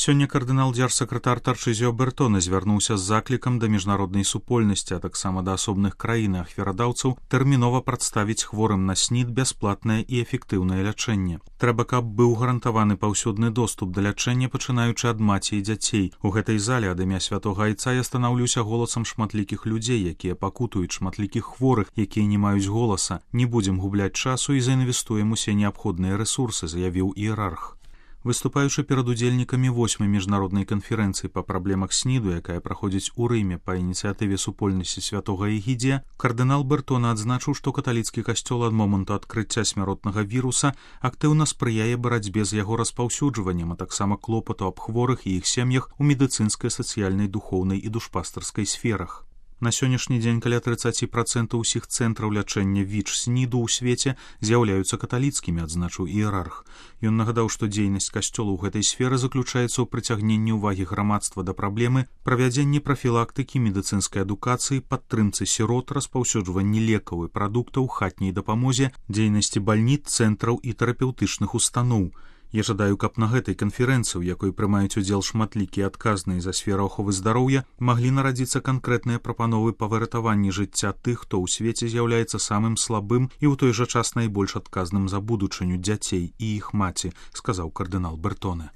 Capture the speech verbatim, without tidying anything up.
Сёння кардынал дзяржсакратар Тарчызіо Бертоне звярнуўся з заклікам да міжнароднай супольнасці, а таксама да асобных краін і ахвярадаўцаў тэрмінова прадставіць хворым на снід бясплатнае і эфектыўнае лячэнне. Трэба, каб быў гарантаваны паўсюдны доступ да лячэння, пачынаючы ад маці і дзяцей. У гэтай зале ад імя святога айца я станаўлюся голасам шматлікіх людзей, якія пакутуюць, шматлікіх хворых, якія не маюць голаса. Не будзем губляць часу і заінвестуем усе неабходныя рэсурсы, заявіў іерарх. Выступаючы перад удзельнікамі восьмай міжнароднай канферэнцыі па праблемах сніду, якая праходзіць у Рыме па ініцыятыве супольнасці святога Эгідзія, кардынал Бертоне адзначыў, што каталіцкі касцёл ад моманту адкрыцця смяротнага віруса актыўна спрыяе барацьбе з яго распаўсюджваннем, а таксама клопату аб хворых і іх сем'ях у медыцынскай, сацыяльнай, духоўнай і душпастарскай сферах. На сённяшні дзень каля трыццаць працэнтаў усіх цэнтраў лячэння ВІЧ-сніду ў свеце з'яўляюцца каталіцкімі, адзначыў іерарх. Ён нагадаў, што дзейнасць касцёла ў гэтай сферы заключаецца ў прыцягненні ўвагі грамадства да праблемы, правядзенні прафілактыкі, медыцынскай адукацыі, падтрымцы сірот, распаўсюджванні лекаў і прадуктаў, хатняй дапамозе, дзейнасці бальніц, цэнтраў і тэрапеўтычных устаноў. Я жадаю, каб на гэтай канферэнцыі, у якой прымаюць удзел шматлікія адказныя за сферу аховы здароўя, маглі нарадзіцца канкрэтныя прапановы па выратаванні жыцця тых, хто ў свеце з'яўляецца самым слабым і ў той жа час найбольш адказным за будучыню дзяцей і іх маці, сказаў кардынал Бертоне.